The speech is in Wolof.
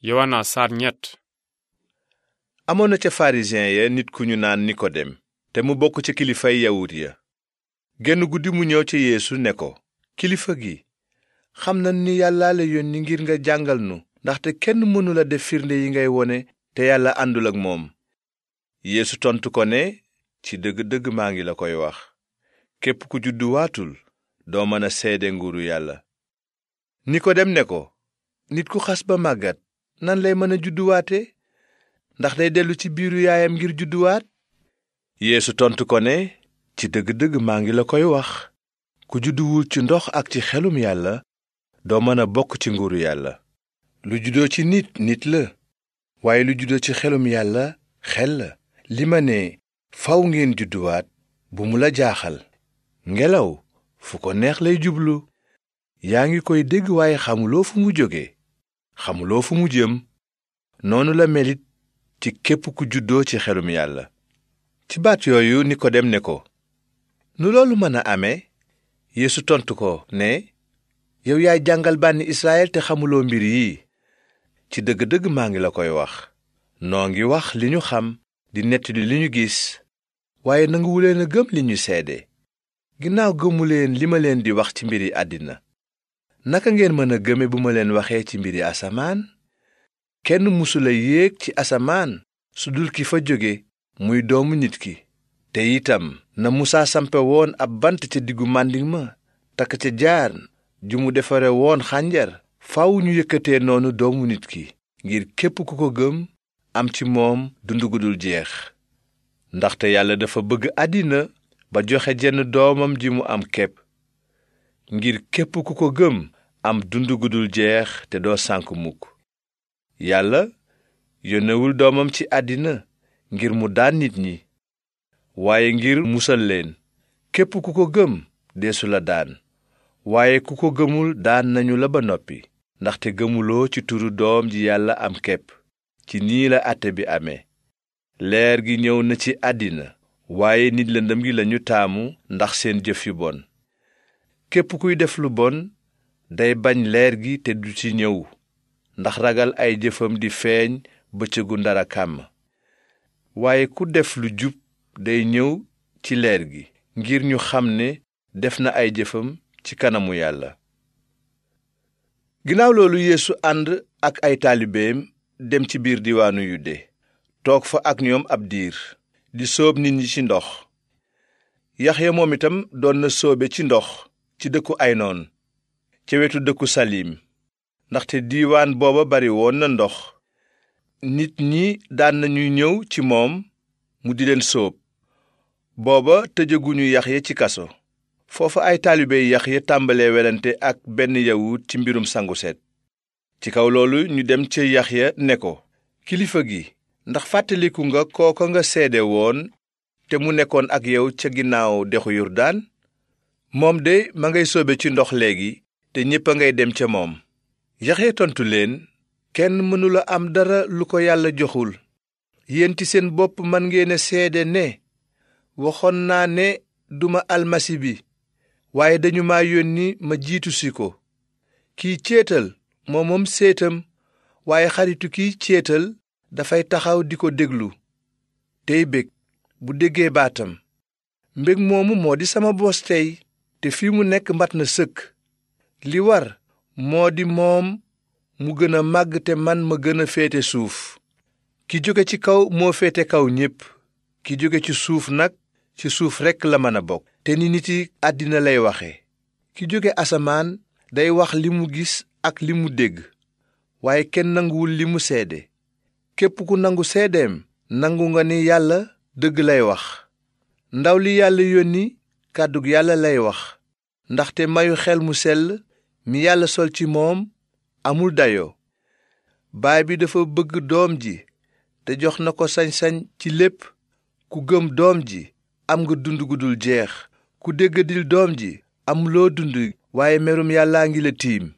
Yowaana saar ñett. amoon na ca farisiyen ya nit ku ñu naan nikodem te mu bokk ca kilifay yawut ya. genn guddi mu ñëw ca yeesu ne ko, kilifa gi, xam na ni yàlla la yónni ngir nga jàngal nu, ndaxte kenn mënula def firnde yi ngay wone te yàlla àndul ak moom. yeesu tontu ko ne, ci dëgg-dëgg maa ngi la koy wax, képp ku judduwaatul doo mën a seede nguuru yàlla. nikodem ne ko, nit ku xas ba màggat nan lay mën a judduwaate? ndax day dellu ci biiru yaayam ngir judduwaat? yeesu tontu ko ne, ci dëgg-dëgg maa ngi la koy wax, ku judduwul ci ndox ak ci xelum yàlla doo mën a bokk ci nguuru yàlla. lu juddoo ci nit nit la, waaye lu juddoo ci xelum yàlla xel la. li ma ne faw ngeen judduwaat bu mu la jaaxal. ngelaw fu ko neex lay jublu. yaa ngi koy dégg waaye xamuloo fu mu jóge, xamuloo fu mu jëm. noonu la melit ci képp ku juddoo ci xelum yàlla. ci baat yooyu nikodem ne ko, nu loolu mën a amee? yeesu tontu ko ne, yow yaay jàngal bànni israyil te xamuloo mbir yi. ci dëgg-dëgg maa ngi la koy wax, noo ngi wax li ñu xam di nettali li ñu gis, waaye nanguwuleen a gëm li ñu seede. ginnaaw gëmuleen li ma leen di wax ci mbiri àddina, naka ngeen mën a gëme bu ma leen waxee ci mbiri asamaan? kenn musula yéeg ci asamaan su dul ki fa jóge, muy doomu nit ki. te itam na musaa sampe woon ab bant ca diggu màndiŋ ma, takk ca jaan ju mu defare woon xànjar, faw ñu yëkkatee noonu doomu nit ki, ngir képp ku ko gëm am ci moom dund gu dul jeex. ndaxte yàlla dafa bëgg àddina ba joxe jenn doomam ji mu am képp, ngir képp ku ko gëm am dund gu dul jeex te doo sànk mukk. yàlla yónnewul doomam ci àddina ngir mu daan nit ñi, waaye ngir musal leen. képp ku ko gëm deesu la daan, waaye ku ko gëmul daan nañu la ba noppi, ndaxte gëmuloo ci turu doom ji yàlla am képp. ci nii la àtte bi amee, leer gi ñëw na ci àddina, waaye nit lëndëm gi lañu taamu ndax seen jëf yu bon. képp kuy def lu bon day bañ leer gi te du ci ñëw, ndax ragal ay jëfam di feeñ bëccëgu ndara kàmm. waaye ku def lu jub day ñëw ci leer gi, ngir ñu xam ne def na ay jëfam ci kanamu yàlla. ginnaaw loolu yeesu ànd ak ay taalibeem dem ci biir diwaanu yude, toog fa ak ñoom ab diir, di sóob nit ñi ci ndox. yaxya moom itam doon na sóobe ci ndox ci dëkku aynoon, ca wetu dëkku salim, ndaxte diiwaan booba bari woon na ndox. nit ñi daan nañu ñëw ci moom mu di leen sóob. booba tëjaguñu yaxya ci kaso. foofa ay taalibe yaxya tàmbalee welante ak benn yawut ci mbirum sangu set. ci kaw loolu ñu dem ca yaxya ne ko, kilifa gi, ndax fàttaliku nga kooko nga seede woon te mu nekkoon ak yow ca ginnaaw dexu yurdaan? moom de ma ngay sóobe ci ndox léegi te ñépp a ngay dem ca moom. yaxya tontu leen, kenn mënula am dara lu ko yàlla joxul. yéen ci seen bopp man ngeen a seede ne waxoon naa ne duma almasi bi, waaye dañu ma yónni ma jiitu si ko. kiy céetal moom séetam, waaye xaritu kiy céetal dafay taxaw di ko déglu tey bég bu déggee baatam. mbég moomu moo di sama bos tey, te fi mu nekk mat na sëkk. li war moo di moom mu gën a màgg te man ma gën a féete suuf. ki jóge ci kaw moo féete kaw ñépp, ki jóge ci suuf nag ci suuf rekk la mën a bokk. te ni niti àddina lay waxe. ki jóge asamaan day wax li mu gis ak li mu dégg, waaye kenn nanguwul li mu seede. képp ku nangu seedeem nangu nga ni yàlla dëgg lay wax. ndaw li yàlla yónni kàddug yàlla lay wax, ndaxte mayu xel mu sell mi yàlla sol ci moom amul dayoo. baay bi dafa bëgg doom ji te jox na ko sañ-sañ ci lépp. ku gëm doom ji am nga dund gu dul jeex. ku déggadil doom ji am loo dund, waaye merum yàllaa ngi la tiim.